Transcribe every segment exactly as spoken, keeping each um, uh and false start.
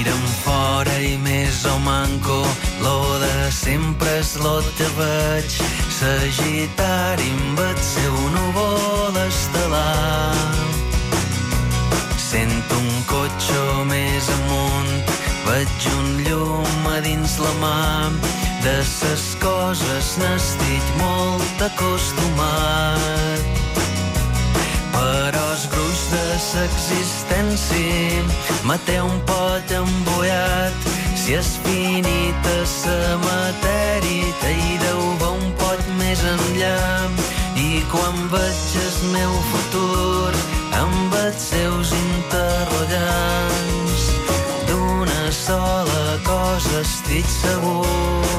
Mira'm fora i més o manco, lo de sempre és lo que veig. Sagitari amb el seu núvol estel·lar. Sento un cotxe més amunt, veig un llum a dins la mà. De ses coses n'estic molt acostumat. Però el gruix de l'existència me té un pot embullat. Si és finita la matèria, t'hi deu va un pot més enllà. I quan veig el meu futur amb els seus interrogants, d'una sola cosa estic segur.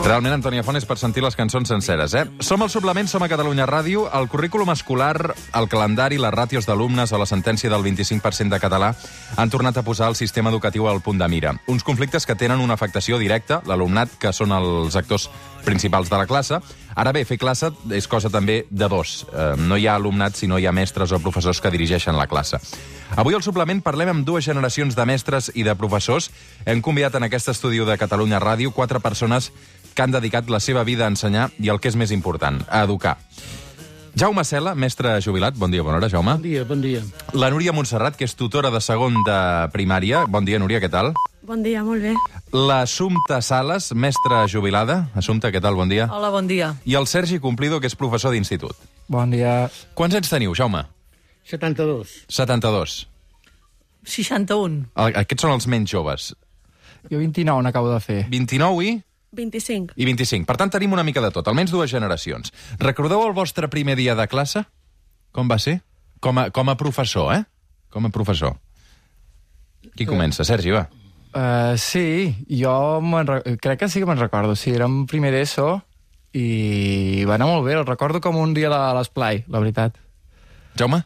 Realment, Antònia Font, és per sentir les cançons senceres, eh? Som al Suplement, som a Catalunya Ràdio. El currículum escolar, el calendari, les ràtios d'alumnes o la sentència del vint-i-cinc per cent de català han tornat a posar el sistema educatiu al punt de mira. Uns conflictes que tenen una afectació directa, l'alumnat, que són els actors principals de la classe. Ara bé, fer classe és cosa també de dos. Eh, no hi ha alumnat si no hi ha mestres o professors que dirigeixen la classe. Avui al Suplement parlem amb dues generacions de mestres i de professors. Hem convidat en aquest estudi de Catalunya Ràdio quatre persones que han dedicat la seva vida a ensenyar i el que és més important, a educar. Jaume Cela, mestre jubilat. Bon dia, bona hora, Jaume. Bon dia, bon dia. La Núria Montserrat, que és tutora de segon de primària. Bon dia, Núria, què tal? Bon dia, molt bé. L'Assumpta Sales, mestra jubilada. Assumpta, què tal? Bon dia. Hola, bon dia. I el Sergi Cumplido, que és professor d'institut. Bon dia. Quants anys teniu, Jaume? setanta-dos. setanta-dos. seixanta-un. Aquests són els menys joves. Jo vint-i-nou n'acabo de fer. vint-i-nou i... vint-i-cinc. I vint-i-cinc. Per tant, tenim una mica de tot, almenys dues generacions. Recordeu el vostre primer dia de classe? Com va ser? Com a, com a professor, eh? Com a professor. Qui comença? Sergi, va. Uh, sí, jo crec que sí que me'n recordo. Sí, era un primer d'ESO i va anar molt bé. El recordo com un dia a l'esplai, la veritat. Jaume?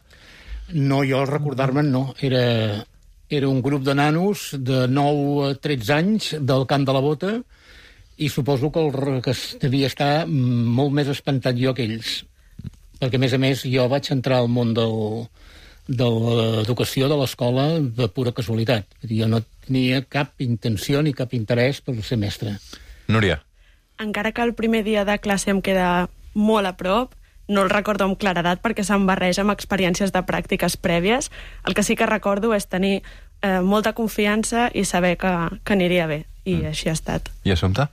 No, jo recordar-me'n no. Era, era un grup de nanos de nou a tretze anys del Camp de la Bota i suposo que, el, que devia estar molt més espantat jo que ells. Perquè, a més a més, jo vaig entrar al món del, de l'educació de l'escola de pura casualitat. Jo no tenia cap intenció ni cap interès per ser mestre. Núria? Encara que el primer dia de classe em queda molt a prop, no el recordo amb claredat perquè se'm barreja amb experiències de pràctiques prèvies. El que sí que recordo és tenir eh, molta confiança i saber que, que aniria bé. I mm. així ha estat. I Assumpta?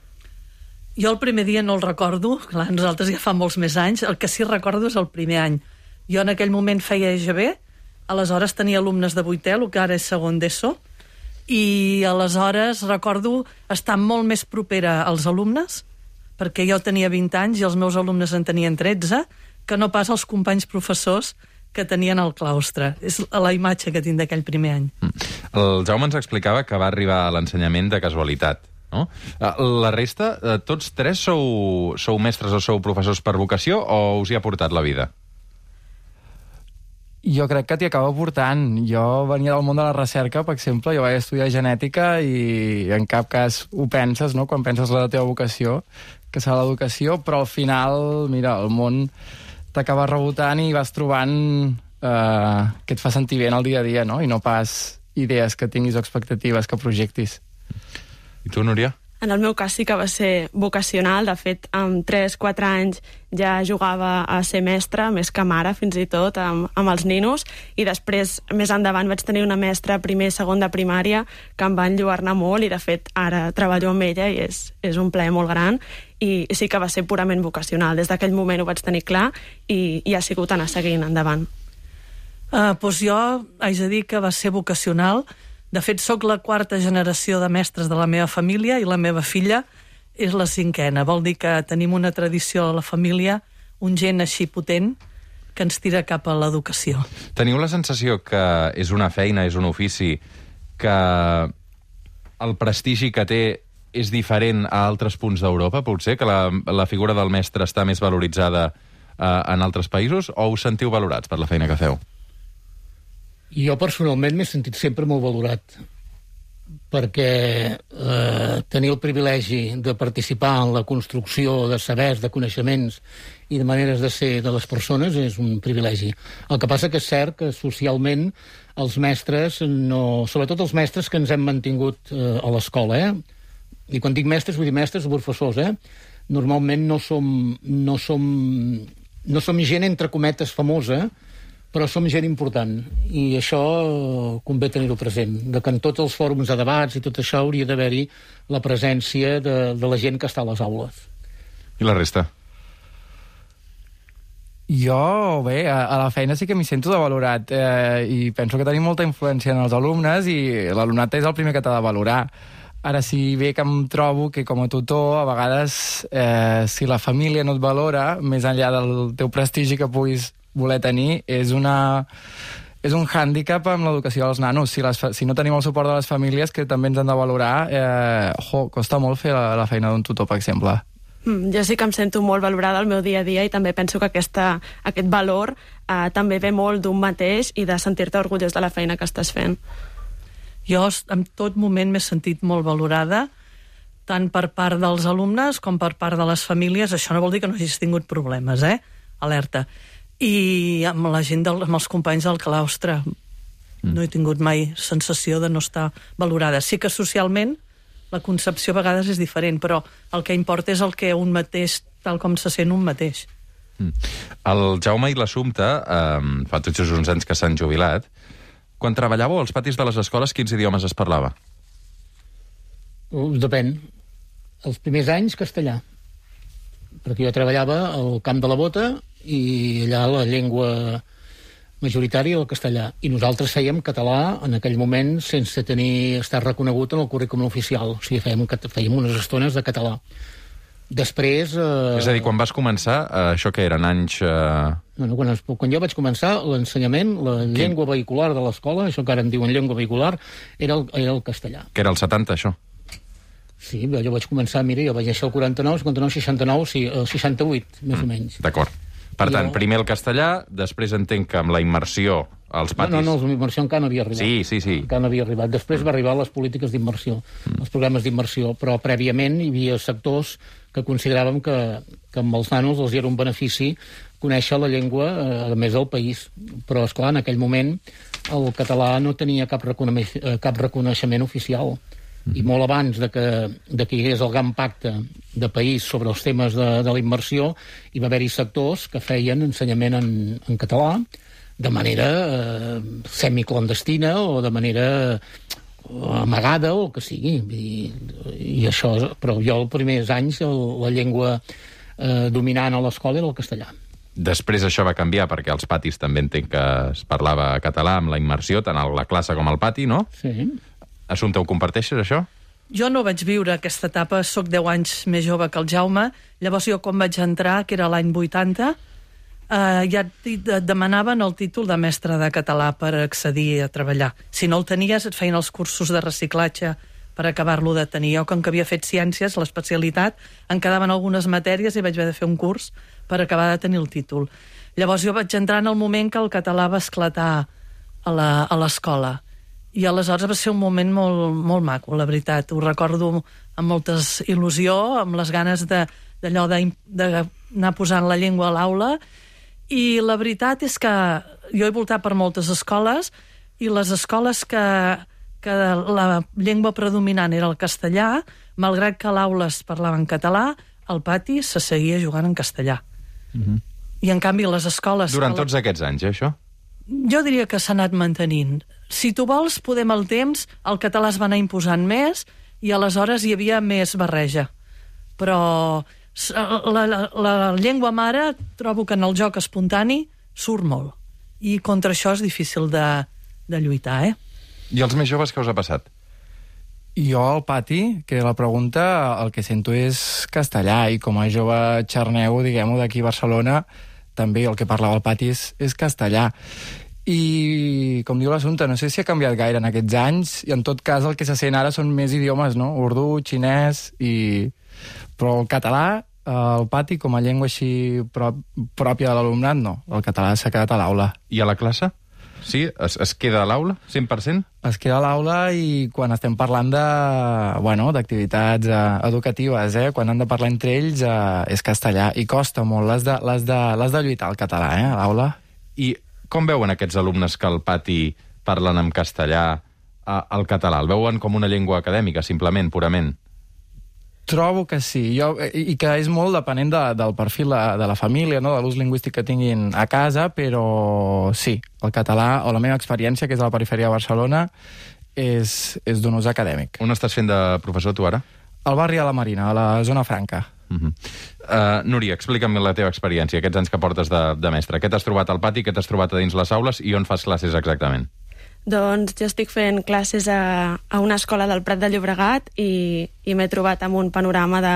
Jo el primer dia no el recordo, clar, nosaltres ja fa molts més anys, el que sí recordo és el primer any. Jo en aquell moment feia E G B, aleshores tenia alumnes de vuitè, el que ara és segon d'ESO, i aleshores recordo estar molt més propera als alumnes, perquè jo tenia vint anys i els meus alumnes en tenien tretze, que no pas els companys professors que tenien al claustre. És la imatge que tinc d'aquell primer any. El Jaume ens explicava que va arribar a l'ensenyament de casualitat. No? La resta, tots tres sou, sou mestres o sou professors per vocació o us hi ha portat la vida? Jo crec que t'hi acaba portant. Jo venia del món de la recerca, per exemple, jo vaig estudiar genètica i en cap cas ho penses, no?, quan penses la teva vocació, que serà l'educació, però al final, mira, el món t'acaba rebotant i vas trobant eh, que et fa sentir bé en el dia a dia, no?, i no pas idees que tinguis o expectatives que projectis. I tu, Núria? En el meu cas sí que va ser vocacional. De fet, amb tres quatre anys ja jugava a ser mestra, més que mare, fins i tot, amb, amb els ninos. I després, més endavant, vaig tenir una mestra primer i segon de primària que em va enlluernar molt i, de fet, ara treballo amb ella i és, és un plaer molt gran. I sí que va ser purament vocacional. Des d'aquell moment ho vaig tenir clar i, i ha sigut anar seguint endavant. Uh, doncs jo haig de dir que va ser vocacional. De fet, sóc la quarta generació de mestres de la meva família i la meva filla és la cinquena. Vol dir que tenim una tradició a la família, un gen així potent, que ens tira cap a l'educació. Teniu la sensació que és una feina, és un ofici, que el prestigi que té és diferent a altres punts d'Europa, potser? Que la, la figura del mestre està més valoritzada eh, en altres països? O us sentiu valorats per la feina que feu? Jo personalment m'he sentit sempre molt valorat perquè eh, tenir el privilegi de participar en la construcció de sabers, de coneixements i de maneres de ser de les persones és un privilegi. El que passa que és cert que socialment els mestres, no, sobretot els mestres que ens hem mantingut eh, a l'escola, eh? I quan dic mestres, vull dir mestres o professors, eh? Normalment no som, no som, no som gent, entre cometes, famosa, però som gent important, i això convé tenir-ho present, de que en tots els fòrums de debats i tot això hauria d'haver-hi la presència de, de la gent que està a les aules. I la resta? Jo, bé, a, a la feina sí que m'hi sento de valorat, eh, i penso que tenim molta influència en els alumnes i l'alumnat és el primer que t'ha de valorar. Ara, si bé que em trobo que com a tutor, a vegades, eh, si la família no et valora, més enllà del teu prestigi que puguis voler tenir, és una és un hàndicap amb l'educació dels nanos. Si, les, si no tenim el suport de les famílies, que també ens han de valorar, eh, jo, costa molt fer la, la feina d'un tutor, per exemple. Mm, jo sí que em sento molt valorada al meu dia a dia i també penso que aquesta, aquest valor eh, també ve molt d'un mateix i de sentir-te orgullós de la feina que estàs fent. Jo en tot moment m'he sentit molt valorada, tant per part dels alumnes com per part de les famílies. Això no vol dir que no hagis tingut problemes, eh? Alerta. I amb la gent, del, amb els companys del claustre mm. no he tingut mai sensació de no estar valorada. Sí que socialment la concepció a vegades és diferent, però el que importa és el que un mateix, tal com se sent un mateix. Mm. El Jaume i l'Assumpta, eh, fa tots just uns anys que s'han jubilat, quan treballàveu als patis de les escoles, quins idiomes es parlava? Depèn. Els primers anys, castellà. Perquè jo treballava al Camp de la Bota i allà la llengua majoritària el castellà. I nosaltres fèiem català en aquell moment sense tenir estar reconegut en el currículum oficial. O sigui, fèiem, fèiem unes estones de català. Després... Eh... És a dir, quan vas començar, eh, això que eren anys... Eh... No, no, quan, quan jo vaig començar, l'ensenyament, la Quin? llengua vehicular de l'escola, això que ara en diuen llengua vehicular, era el, era el castellà. Que era el setanta, això? Sí, jo vaig començar, mira, jo vaig néixer el quaranta-nou, cinquanta-nou, seixanta-nou, sí, el seixanta-vuit, més mm, o menys. D'acord. Per tant, jo... primer el castellà, després entenc que amb la immersió als patis... No, no, no, la immersió encara no havia arribat. Sí, sí, sí. Encara no havia arribat. Després va arribar les polítiques d'immersió, mm. els programes d'immersió, però prèviament hi havia sectors que consideràvem que, que amb els nanos els era un benefici conèixer la llengua, eh, a més del país. Però, esclar, en aquell moment el català no tenia cap, reconeix cap reconeixement oficial. I molt abans de que, de que hi hagués el gran pacte de país sobre els temes de, de la immersió, hi va haver-hi sectors que feien ensenyament en, en català de manera eh, semiclandestina o de manera amagada o el que sigui. I, i això, però jo els primers anys el, la llengua eh, dominant a l'escola era el castellà. Després això va canviar, perquè als patis també entenc que es parlava català amb la immersió, tant a la classe com al pati, no? Sí. Assumpta, ho comparteixes, això? Jo no vaig viure aquesta etapa, sóc deu anys més jove que el Jaume, llavors jo quan vaig entrar, que era l'any vuitanta, eh, ja et demanaven el títol de mestre de català per accedir a treballar. Si no el tenies, et feien els cursos de reciclatge per acabar-lo de tenir. Jo, com que havia fet ciències, l'especialitat, em quedaven algunes matèries i vaig haver de fer un curs per acabar de tenir el títol. Llavors jo vaig entrar en el moment que el català va esclatar a l'escola. I aleshores va ser un moment molt, molt maco, la veritat. Ho recordo amb molta il·lusió, amb les ganes d'allò d'anar posant la llengua a l'aula. I la veritat és que jo he voltat per moltes escoles i les escoles que, que la llengua predominant era el castellà, malgrat que a l'aula es parlava en català, al pati se seguia jugant en castellà. Uh-huh. I en canvi les escoles... Durant tots aquests anys, eh, això? Jo diria que s'ha anat mantenint. Si tu vols, podem al temps, el català es va anar imposant més i aleshores hi havia més barreja. Però la, la, la llengua mare trobo que en el joc espontani surt molt. I contra això és difícil de, de lluitar, eh? I els més joves què us ha passat? Jo al pati, que la pregunta, el que sento és castellà, i com a jove xarnego, diguem-ho, d'aquí a Barcelona, també el que parlava al pati és, és castellà. I, com diu l'Assumpta, no sé si ha canviat gaire en aquests anys, i en tot cas el que se sent ara són més idiomes, no? Urdú, xinès, i... però el català, el pati, com a llengua així prop, pròpia de l'alumnat, no. El català s'ha quedat a l'aula. I a la classe? sí? Es, es queda a l'aula, cent per cent? Es queda a l'aula i quan estem parlant de, bueno, d'activitats eh, educatives, eh, quan han de parlar entre ells, eh, és castellà. I costa molt, l'has de, l'has de, l'has de lluitar al català, eh, a l'aula. I com veuen aquests alumnes que al pati parlen en castellà a, al català? El veuen com una llengua acadèmica, simplement, purament? Trobo que sí, jo, i que és molt depenent de, del perfil de, de la família, no? De l'ús lingüístic que tinguin a casa, però sí, el català, o la meva experiència, que és a la perifèria de Barcelona, és, és d'un ús acadèmic. On estàs fent de professor, tu, ara? Al barri de la Marina, a la zona franca. Uh-huh. uh, Núria, explica'm la teva experiència, aquests anys que portes de, de mestre. Què t'has trobat al pati, què t'has trobat a dins les aules i on fas classes exactament? Doncs jo estic fent classes a, a una escola del Prat de Llobregat i, i m'he trobat amb un panorama de,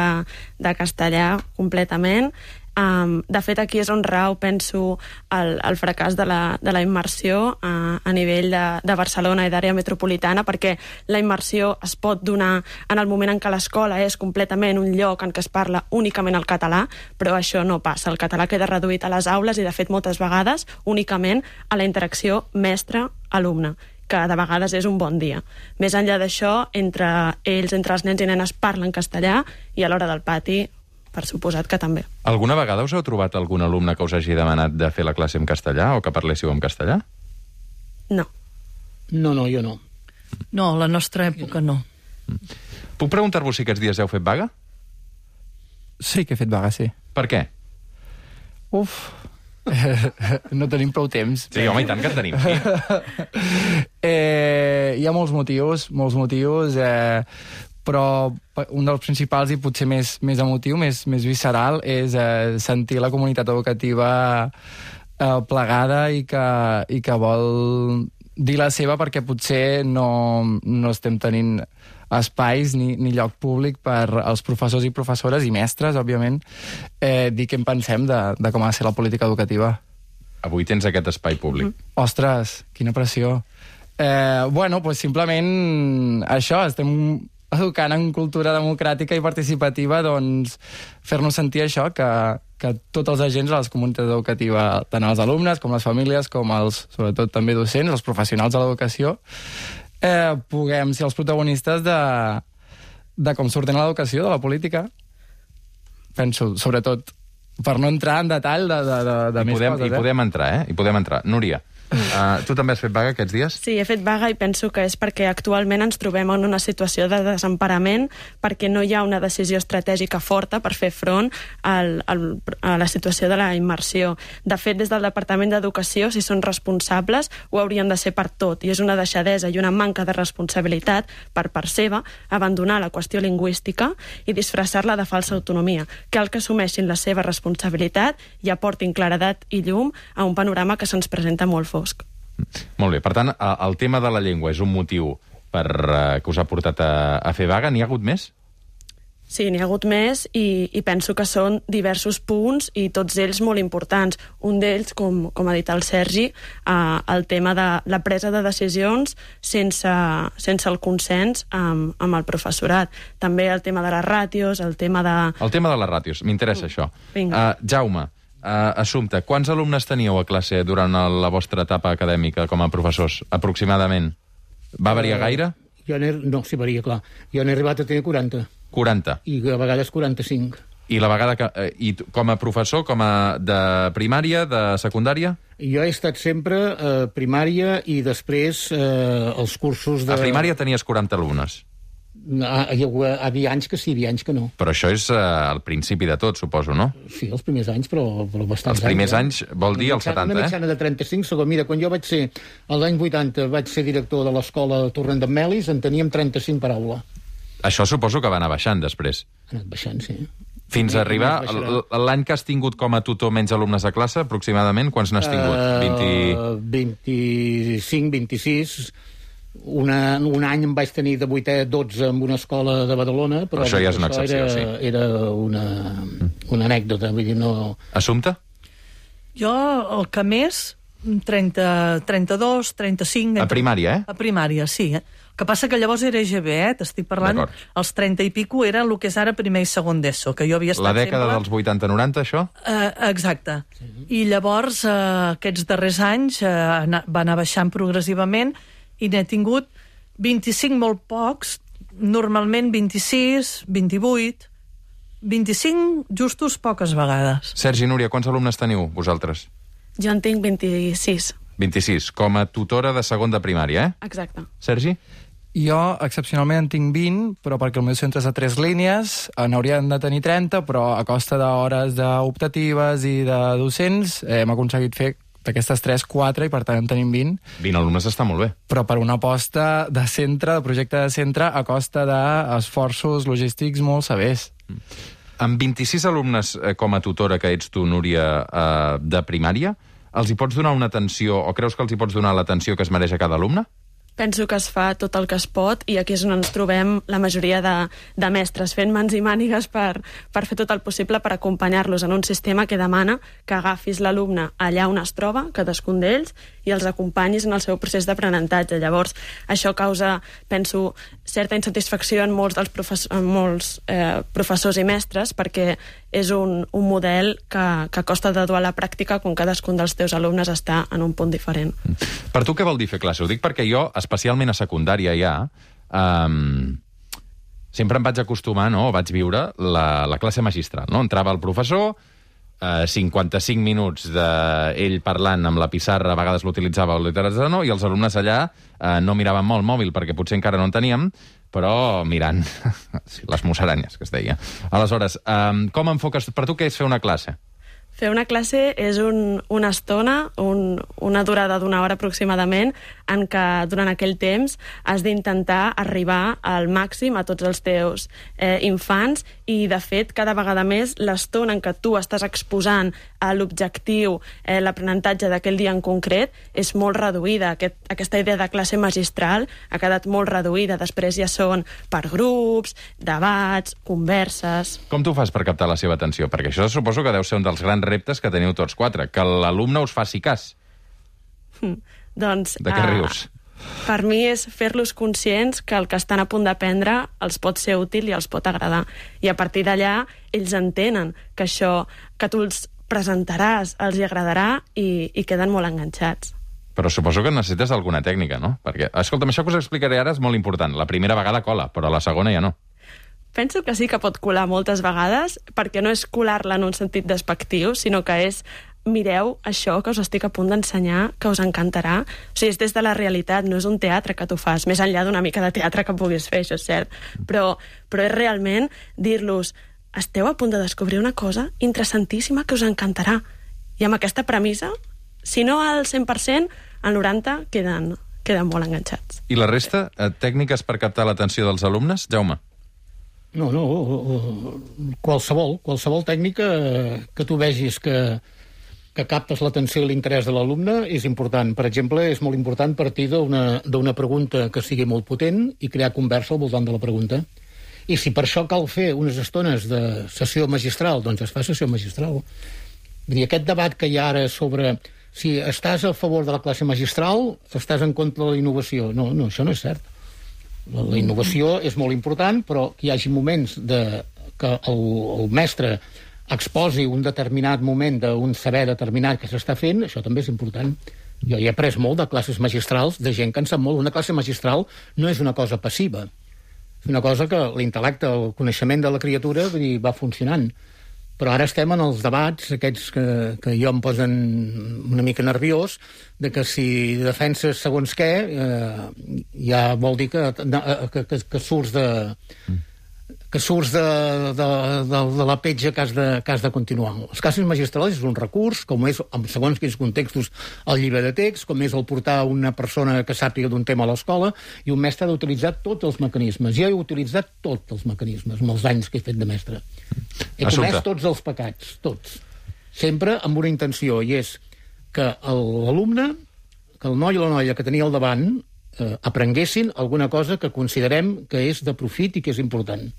de castellà completament. Um, de fet, aquí és on rau, penso, el, el fracàs de la, de la immersió uh, a nivell de, de Barcelona i d'àrea metropolitana, perquè la immersió es pot donar en el moment en què l'escola és completament un lloc en què es parla únicament el català, però això no passa. El català queda reduït a les aules i, de fet, moltes vegades únicament a la interacció mestre-alumne, que de vegades és un bon dia. Més enllà d'això, entre ells, entre els nens i nenes, parlen castellà i a l'hora del pati, per suposat que també. Alguna vegada us heu trobat algun alumne que us hagi demanat de fer la classe en castellà o que parléssiu en castellà? No. No, no, jo no. No, la nostra època no. Puc preguntar-vos si aquests dies heu fet vaga? Sí que he fet vaga, sí. Per què? Uf, no tenim prou temps. Sí, home, i tant que en tenim, sí. eh, hi ha molts motius, molts motius, eh, però un dels principals i potser més, més emotiu, més, més visceral, és eh, sentir la comunitat educativa eh, plegada i que, i que vol dir la seva perquè potser no, no estem tenint espais ni, ni lloc públic per als professors i professores i mestres, òbviament, eh, dir què en pensem de, de com ha de ser la política educativa. Avui tens aquest espai públic. Mm. Ostres, quina pressió. Eh, bueno, pues simplement això, estem educant en cultura democràtica i participativa, doncs fer-nos sentir això, que, que tots els agents de la comunitat educativa, tant els alumnes com les famílies, com els, sobretot també docents, els professionals de l'educació, eh, puguem ser els protagonistes de, de com s'ordena l'educació, de la política. Penso, sobretot, per no entrar en detall de, de, de, de més podem, coses. I eh? podem entrar, eh? I podem entrar. Núria, Uh, tu també has fet vaga aquests dies? Sí, he fet vaga i penso que és perquè actualment ens trobem en una situació de desemparament, perquè no hi ha una decisió estratègica forta per fer front al, al, a la situació de la immersió. De fet, des del Departament d'Educació, si són responsables, ho haurien de ser per tot, i és una deixadesa i una manca de responsabilitat per part seva abandonar la qüestió lingüística i disfressar-la de falsa autonomia. Cal que assumeixin la seva responsabilitat i aportin claredat i llum a un panorama que se'ns presenta molt fosc. Molt bé, per tant, el tema de la llengua és un motiu per, uh, que us ha portat a, a fer vaga. N'hi ha hagut més? Sí, n'hi ha hagut més i, i penso que són diversos punts i tots ells molt importants. Un d'ells, com, com ha dit el Sergi, eh, el tema de la presa de decisions sense, sense el consens amb, amb el professorat. També el tema de les ràtios, el tema de... El tema de les ràtios, m'interessa mm. això. Vinga. Uh, Jaume, Uh, Assumpte, quants alumnes teníeu a classe durant el, la vostra etapa acadèmica com a professors, aproximadament? Va variar uh, gaire? Jo no, sí, varia, clar. Jo n'he arribat a tenir quaranta. quaranta. I a vegades quaranta-cinc. I la vegada que... Eh, i com a professor, com a de primària, de secundària? Jo he estat sempre a eh, primària i després eh, els cursos de... A primària tenies quaranta alumnes. Ah, hi havia anys que sí, hi havia anys que no. Però això és uh, el principi de tot, suposo, no? Sí, els primers anys, però, però bastants Els primers anys, anys eh? Vol dir els setanta, una mitjana eh? de trenta-cinc segons. Mira, quan jo vaig ser, l'any vuitanta, vaig ser director de l'escola Torrent d'en Melis, en teníem trenta-cinc per aula. Això suposo que va anar baixant després. Ha anat baixant, sí. Fins a arribar... L'any que has tingut com a tutor menys alumnes a classe, aproximadament, quants n'has tingut? Uh, vint... vint-i-cinc, vint-i-sis... Una, un any em vaig tenir de vuitè a dotze en una escola de Badalona, però, però això ja és una excepció, era, sí. Era una, una anècdota, vull dir, no... Assumpte? Jo, el que més, trenta, trenta-dos, trenta-cinc... A primària, eh? A primària, sí. Eh? El que passa que llavors era E G B, eh? T'estic parlant, els trenta i pico era el que és ara primer i segon d'ESO, que jo havia estat La dècada sempre... dels vuitanta noranta, això? Uh, exacte. Sí. I llavors, uh, aquests darrers anys uh, va anar baixant progressivament i n'he tingut vint-i-cinc molt pocs, normalment vint-i-sis, vint-i-vuit, vint-i-cinc justos poques vegades. Sergi, Núria, quants alumnes teniu, vosaltres? Jo en tinc vint-i-sis. vint-i-sis, com a tutora de segon de primària, eh? Exacte. Sergi? Jo, excepcionalment, en tinc vint, però perquè el meu centre és de tres línies, n'haurien de tenir trenta, però a costa d'hores d'optatives i de docents eh, hem aconseguit fer d'aquestes tres, quatre, i per tant en tenim vint. vint alumnes està molt bé. Però per una aposta de centre, de projecte de centre, a costa d'esforços logístics molt severs. Amb vint-i-sis alumnes eh, com a tutora que ets tu, Núria, eh, de primària, els hi pots donar una atenció, o creus que els hi pots donar l'atenció que es mereix a cada alumne? Penso que es fa tot el que es pot i aquí és on ens trobem la majoria de, de mestres fent mans i mànigues per, per fer tot el possible per acompanyar-los en un sistema que demana que agafis l'alumne allà on es troba, cadascun d'ells, i els acompanyis en el seu procés d'aprenentatge. Llavors, això causa, penso, certa insatisfacció en molts dels professors, en molts, eh, professors i mestres perquè és un, un model que, que costa de dur a la pràctica quan cadascun dels teus alumnes està en un punt diferent. Per tu què vol dir fer classe? Ho dic perquè jo, especialment a secundària ja, um, sempre em vaig acostumar, no?, o vaig viure la, la classe magistral, no? Entrava el professor, eh, cinquanta-cinc minuts d'ell parlant amb la pissarra, a vegades l'utilitzava o l'utilitzava no, i els alumnes allà eh, no miraven molt el mòbil perquè potser encara no en teníem, però mirant les musaranyes, que es deia. Aleshores, um, com enfoques... Per tu què és fer una classe? Fer una classe és un, una estona, un, una durada d'una hora aproximadament, en què durant aquell temps has d'intentar arribar al màxim a tots els teus eh, infants i, de fet, cada vegada més l'estona en què tu estàs exposant a l'objectiu, eh, l'aprenentatge d'aquell dia en concret, és molt reduïda. Aquest, aquesta idea de classe magistral ha quedat molt reduïda. Després ja són per grups, debats, converses... Com tu fas per captar la seva atenció? Perquè això suposo que deu ser un dels grans reptes que teniu tots quatre, que l'alumne us faci cas. Mm, doncs... De què rius? Uh, per mi és fer-los conscients que el que estan a punt d'aprendre els pot ser útil i els pot agradar. I a partir d'allà ells entenen que això que tu els presentaràs els hi agradarà i, i queden molt enganxats. Però suposo que necessites alguna tècnica, no? Perquè, escolta'm, això que us explicaré ara és molt important. La primera vegada cola, però la segona ja no. Penso que sí que pot colar moltes vegades, perquè no és colar-la en un sentit despectiu, sinó que és mireu això que us estic a punt d'ensenyar, que us encantarà. O sigui, és des de la realitat, no és un teatre que tu fas, més enllà d'una mica de teatre que puguis fer, això és cert. Però, però és realment dir-los, esteu a punt de descobrir una cosa interessantíssima que us encantarà. I amb aquesta premissa, si no al cent per cent, al noranta per cent queden, queden molt enganxats. I la resta, eh, tècniques per captar l'atenció dels alumnes? Jaume? No, no, qualsevol, qualsevol tècnica que tu vegis que, que captes l'atenció i l'interès de l'alumne és important. Per exemple, és molt important partir d'una pregunta que sigui molt potent i crear conversa al voltant de la pregunta. I si per això cal fer unes estones de sessió magistral, doncs es fa sessió magistral. Vull dir, aquest debat que hi ha ara sobre si estàs a favor de la classe magistral, estàs en contra de la innovació. No, no, això no és cert. La, la innovació és molt important, però que hi hagi moments de, que el, el mestre exposi un determinat moment d'un saber determinat que s'està fent, això també és important. Jo hi he après molt de classes magistrals, de gent que en sap molt. Una classe magistral no és una cosa passiva. És una cosa que l'intel·lecte, el coneixement de la criatura vull dir, va funcionant. Però ara estem en els debats, aquests que, que jo em posen una mica nerviós, de que si defenses segons què, eh, ja vol dir que, que, que, que surts de... que surts de, de, de, de la petja que has de, que has de continuar. Les classes magistrals és un recurs, com és, en segons quins contextos, el llibre de text, com és el portar una persona que sàpiga d'un tema a l'escola, i un mestre ha d'utilitzar tots els mecanismes. Jo he utilitzat tots els mecanismes, amb els anys que he fet de mestre. He comès tots els pecats, tots. Sempre amb una intenció, i és que l'alumne, que el noi o la noia que tenia al davant, eh, aprenguessin alguna cosa que considerem que és de profit i que és important.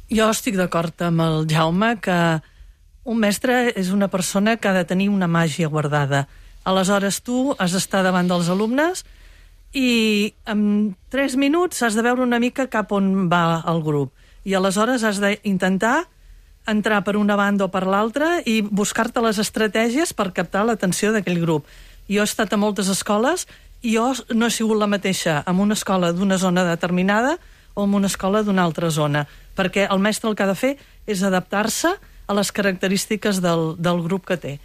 Jo estic d'acord amb el Jaume que un mestre és una persona que ha de tenir una màgia guardada. Aleshores, tu has d'estar davant dels alumnes i en tres minuts has de veure una mica cap on va el grup. I aleshores has d'intentar entrar per una banda o per l'altra i buscar-te les estratègies per captar l'atenció d'aquell grup. Jo he estat a moltes escoles i jo no he sigut la mateixa en una escola d'una zona determinada o en una escola d'una altra zona, perquè el mestre el que ha de fer és adaptar-se a les característiques del, del grup que té.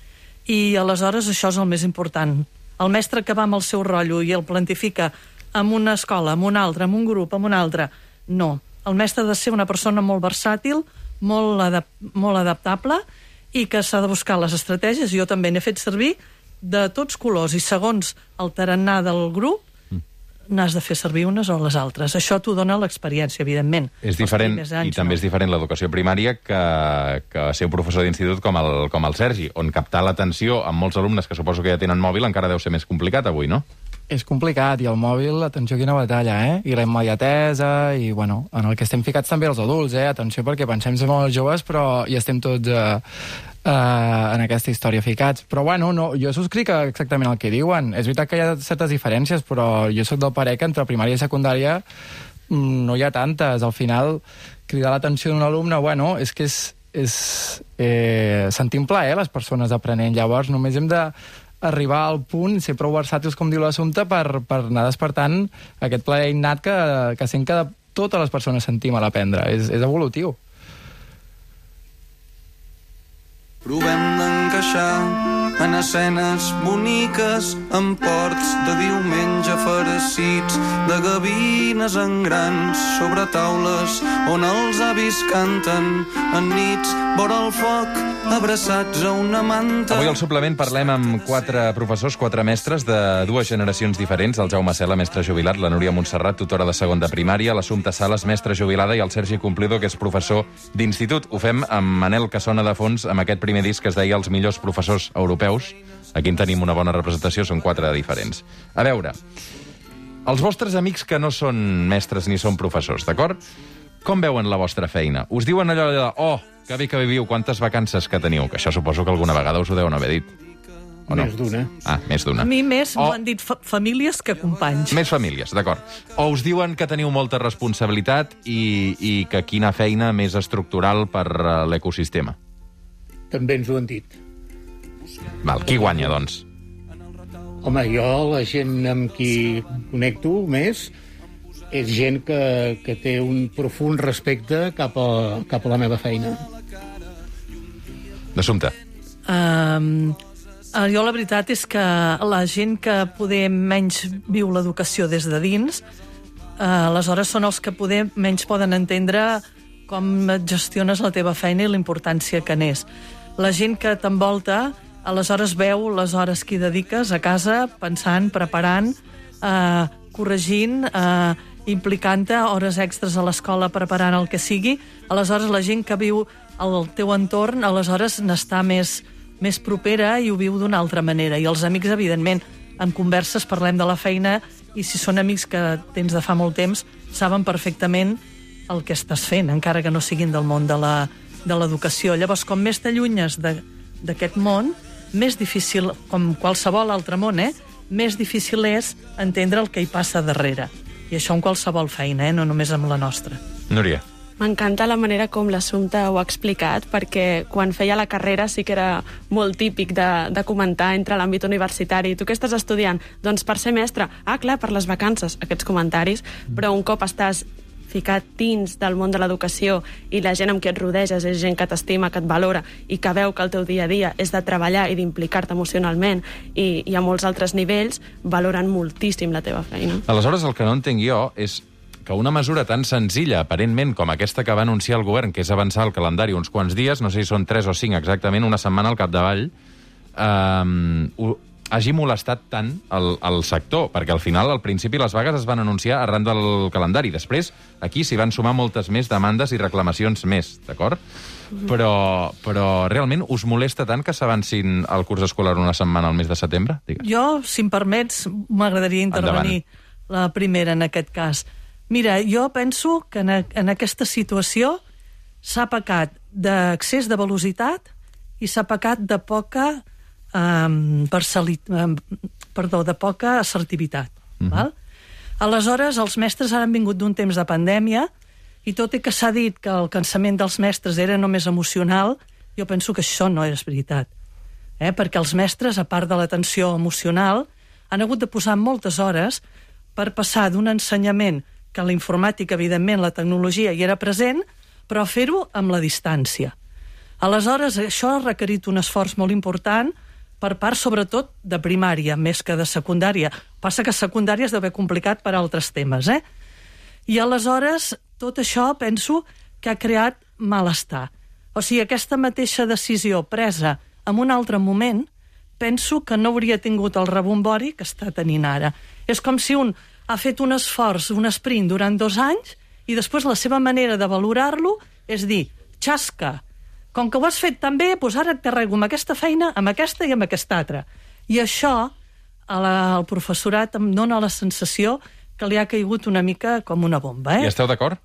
I aleshores això és el més important. El mestre que va amb el seu rotllo i el plantifica en una escola, en una altra, en un grup, en una altra, no. El mestre ha de ser una persona molt versàtil, molt, adap molt adaptable i que s'ha de buscar les estratègies. Jo també n'he fet servir de tots colors i segons el tarannà del grup n'has de fer servir unes o les altres. Això t'ho dona l'experiència, evidentment. És diferent, anys, i també no. És diferent l'educació primària que, que ser un professor d'institut com, el, com el Sergi, on captar l'atenció amb molts alumnes que suposo que ja tenen mòbil encara deu ser més complicat avui, no? És complicat, i el mòbil, atenció, quina batalla, eh? I la immediatesa, i, bueno, en el que estem ficats també els adults, eh? Atenció, perquè pensem ser molt joves, però hi estem tots eh, eh, en aquesta història ficats. Però, bueno, no, jo subscric exactament el que diuen. És veritat que hi ha certes diferències, però jo sóc del parer que entre primària i secundària no hi ha tantes. Al final, cridar l'atenció d'un alumne, bueno, és que és, és eh, sentir un plaer, les persones aprenent. Llavors, només hem de arribar al punt, ser prou versàtils, com diu l'assumpte, per, per anar despertant aquest plaer innat que, que sent que totes les persones sentim a l'aprendre. És, és evolutiu. Provem d'encaixar en escenes boniques, en ports de diumenge farcits, de gavines en grans sobre taules on els avis canten en nits vora el foc, abraçats a una manta. Avui al suplement parlem amb quatre professors, quatre mestres de dues generacions diferents, el Jaume Cela, mestre jubilat, la Núria Montserrat, tutora de segon de primària, l'Assumpta Sales, mestra jubilada, i el Sergi Cumplido, que és professor d'institut. Ho fem amb Manel, que sona de fons, amb aquest primer disc que es deia Els millors professors europeus. Aquí en tenim una bona representació, són quatre diferents. A veure, els vostres amics que no són mestres ni són professors, d'acord? Com veuen la vostra feina? Us diuen allò de, oh, que bé que viviu, quantes vacances que teniu? Que això suposo que alguna vegada us ho deuen haver dit. O no? Més d'una. Ah, més d'una. A mi més o... m'ho han dit fa famílies que companys. Més famílies, d'acord. O us diuen que teniu molta responsabilitat i, i que quina feina més estructural per l'ecosistema. També ens ho han dit. Val, qui guanya, doncs? Home, jo, la gent amb qui connecto més, és gent que, que té un profund respecte cap a, cap a la meva feina. D'Assumpte. Um, jo la veritat és que la gent que poder menys viu l'educació des de dins, uh, aleshores són els que poder menys poden entendre com et gestiones la teva feina i la importància que n'és. La gent que t'envolta, aleshores veu les hores que hi dediques a casa, pensant, preparant, eh, corregint, eh, implicant-te hores extres a l'escola preparant el que sigui. Aleshores la gent que viu al teu entorn, aleshores n'està més, més propera i ho viu d'una altra manera. I els amics, evidentment, en converses parlem de la feina i si són amics que tens de fa molt temps, saben perfectament el que estàs fent, encara que no siguin del món de la de l'educació. Llavors, com més t'allunyes d'aquest món, més difícil, com qualsevol altre món, eh, més difícil és entendre el que hi passa darrere. I això en qualsevol feina, eh, no només amb la nostra. Núria. M'encanta la manera com l'Assumpte ho ha explicat, perquè quan feia la carrera sí que era molt típic de, de comentar entre l'àmbit universitari. Tu què estàs estudiant? Doncs per ser mestre. Ah, clar, per les vacances, aquests comentaris. Però un cop estàs ficat dins del món de l'educació i la gent amb qui et rodeges és gent que t'estima, que et valora i que veu que el teu dia a dia és de treballar i d'implicar-te emocionalment i, i a molts altres nivells, valoren moltíssim la teva feina. Aleshores, el que no entenc jo és que una mesura tan senzilla, aparentment, com aquesta que va anunciar el govern, que és avançar el calendari uns quants dies, no sé si són tres o cinc exactament, una setmana al capdavall, eh, hagi molestat tant el, el sector, perquè al final, al principi, les vagues es van anunciar arran del calendari. Després, aquí s'hi van sumar moltes més demandes i reclamacions més, d'acord? Mm-hmm. Però, però realment us molesta tant que s'avancin el curs escolar una setmana al mes de setembre? Digues. Jo, si em permets, m'agradaria intervenir Endavant. La primera en aquest cas. Mira, jo penso que en, en aquesta situació s'ha pecat d'excés de velocitat i s'ha pecat de poca Um, parcialit, um, perdó, de poca assertivitat. Mm-hmm. Val? Aleshores, els mestres ara han vingut d'un temps de pandèmia i tot i que s'ha dit que el cansament dels mestres era només emocional, jo penso que això no és veritat. Eh? Perquè els mestres, a part de l'atenció emocional, han hagut de posar moltes hores per passar d'un ensenyament que la informàtica, evidentment, la tecnologia hi era present, però fer-ho amb la distància. Aleshores, això ha requerit un esforç molt important per part, sobretot, de primària, més que de secundària. Passa que secundària és d'haver complicat per altres temes, eh? I aleshores, tot això, penso, que ha creat malestar. O sigui, aquesta mateixa decisió presa en un altre moment, penso que no hauria tingut el rebombori que està tenint ara. És com si un ha fet un esforç, un sprint durant dos anys, i després la seva manera de valorar-lo és dir, xasca, com que ho has fet tan bé, doncs ara et carrego amb aquesta feina, amb aquesta i amb aquesta altra. I això, al professorat em dona la sensació que li ha caigut una mica com una bomba. Eh? I esteu d'acord?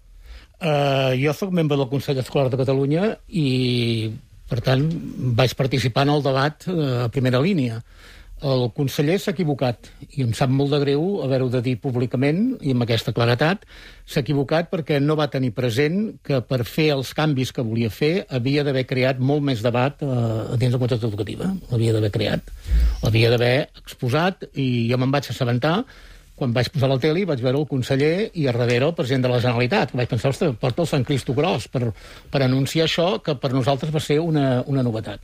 Uh, jo soc membre del Consell Escolar de Catalunya i, per tant, vaig participar en el debat uh, a primera línia. El conseller s'ha equivocat i em sap molt de greu haver-ho de dir públicament i amb aquesta claretat. S'ha equivocat perquè no va tenir present que per fer els canvis que volia fer havia d'haver creat molt més debat eh, dins la comunitat educativa. L'havia d'haver creat, l'havia d'haver exposat i jo me'n vaig assabentar quan vaig posar la tele, vaig veure el conseller i a darrere el president de la Generalitat. Vaig pensar, ostres, porta el Sant Cristo Gros per, per anunciar això que per nosaltres va ser una, una novetat.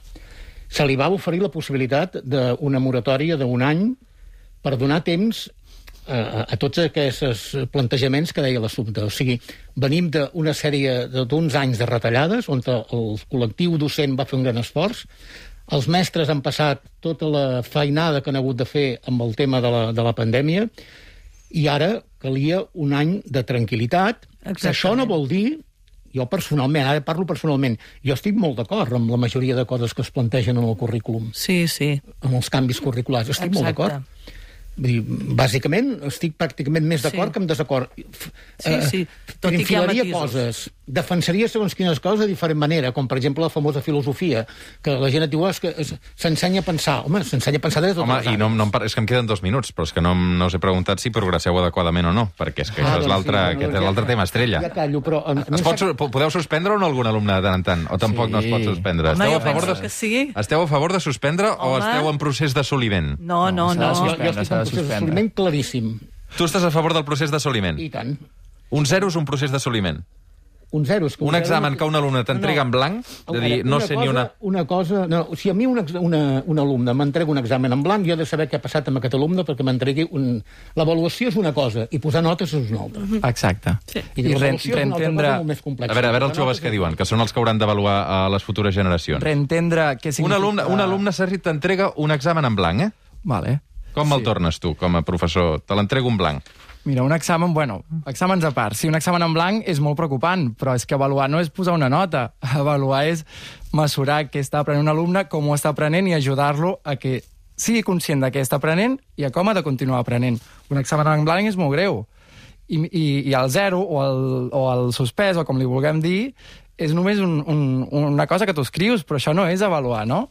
Se li va oferir la possibilitat d'una moratòria d'un any per donar temps a, a tots aquests plantejaments que deia l'assumpte. O sigui, venim d'una sèrie d'uns anys de retallades on el col·lectiu docent va fer un gran esforç, els mestres han passat tota la feinada que han hagut de fer amb el tema de la, de la pandèmia i ara calia un any de tranquil·litat. Això no vol dir... Jo personalment, ara parlo personalment, jo estic molt d'acord amb la majoria de coses que es plantegen en el currículum. Sí, sí. Amb els canvis curriculars, estic Exacte. molt d'acord. Vull dir, bàsicament, estic pràcticament més d'acord sí. que amb desacord. Sí, sí. Tot i que hi ha matisos. Coses, defensaria segons quines coses de diferent manera, com per exemple la famosa filosofia, que la gent et diu, oh, és que s'ensenya a pensar. Home, s'ensenya a pensar des de tots Home, els anys. i no, no, és que em queden dos minuts, però és que no, no us he preguntat si progresseu adequadament o no, perquè és que ah, això és l'altre sí, no, no, tema estrella. Ja callo, però... Es pot, podeu suspendre o no algun alumne de tant en tant? O tampoc sí. no es pot suspendre? Home, esteu, a favor de... de, sí. esteu a favor de suspendre Home. o esteu en procés d'assoliment? No, no, no. no. Jo, jo estic en procés d'assoliment claríssim. Tu estàs a favor del procés d'assoliment? I tant. Un zero és un procés d'assoliment? Un zero. És que un, un examen que un alumne t'entrega no, no. en blanc, de dir, no sé cosa, ni una... Una cosa... No, si a mi un, una, un alumne m'entrega un examen en blanc, jo he de saber què ha passat amb aquest alumne perquè m'entregui un... L'avaluació és una cosa i posar notes és una altra. Exacte. Sí. I, I l'avaluació és una altra cosa molt més complexa. A veure, a veure els joves què diuen, que són els que hauran d'avaluar a les futures generacions. Reentendre què significa... Un alumne, un alumne Sergi, t'entrega un examen en blanc, eh? Vale. Com me'l sí. tornes tu, com a professor? Te l'entrego en blanc. Mira, un examen, bueno, exàmens a part. Sí, un examen en blanc és molt preocupant, però és que avaluar no és posar una nota. Avaluar és mesurar què està aprenent un alumne, com ho està aprenent i ajudar-lo a que sigui conscient de què està aprenent i a com ha de continuar aprenent. Un examen en blanc és molt greu. I, i, i el zero, o el, o el suspès, o com li vulguem dir, és només un, un, una cosa que tu escrius, però això no és avaluar, no?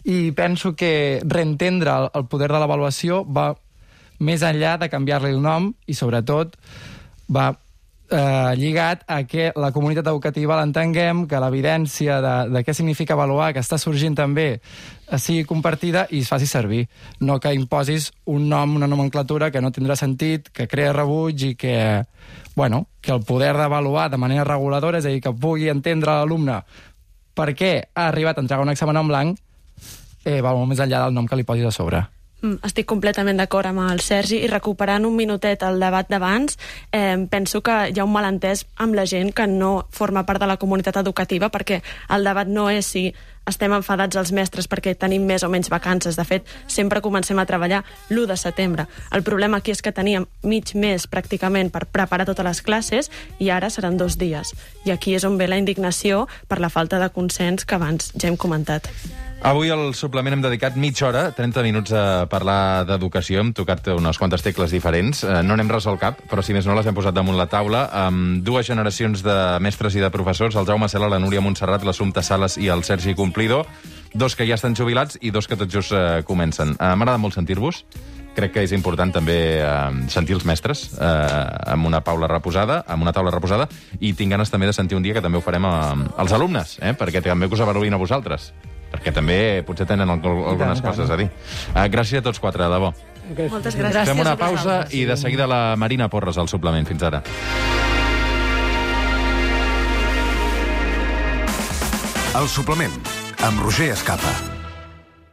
I penso que reentendre el, el poder de l'avaluació va més enllà de canviar-li el nom i, sobretot, va eh, lligat a que la comunitat educativa l'entenguem, que l'evidència de, de què significa avaluar, que està sorgint també, sigui compartida i es faci servir. No que imposis un nom, una nomenclatura que no tindrà sentit, que crea rebuig i que, bueno, que el poder d'avaluar de manera reguladora, és a dir, que pugui entendre l'alumne per què ha arribat a entregar un examen en blanc, eh, va molt més enllà del nom que li posis a sobre. Estic completament d'acord amb el Sergi i recuperant un minutet el debat d'abans, eh, penso que hi ha un malentès amb la gent que no forma part de la comunitat educativa, perquè el debat no és si estem enfadats els mestres perquè tenim més o menys vacances. De fet, sempre comencem a treballar l'u de setembre. El problema aquí és que teníem mig mes pràcticament per preparar totes les classes i ara seran dos dies. I aquí és on ve la indignació per la falta de consens que abans ja hem comentat. Avui al suplement hem dedicat mitja hora, trenta minuts a parlar d'educació. Hem tocat unes quantes tecles diferents. No n'hem resolt cap, però si més no les hem posat damunt la taula amb dues generacions de mestres i de professors, el Jaume Cela, la Núria Montserrat, l'Assumpta Sales i el Sergi Cumplido, dos que ja estan jubilats i dos que tot just eh, comencen. Eh, M'agrada molt sentir-vos. crec que és important també eh, sentir els mestres eh, amb una taula reposada, amb una taula reposada, i tinc ganes també de sentir un dia que també ho farem a, als alumnes, eh, perquè també que us avaluïn a vosaltres, perquè també potser tenen algunes coses a dir. Eh, gràcies a tots quatre, de debò. Moltes gràcies. Fem una pausa i de seguida la Marina Porres al suplement. Fins ara. El suplement, amb Roger Escapa.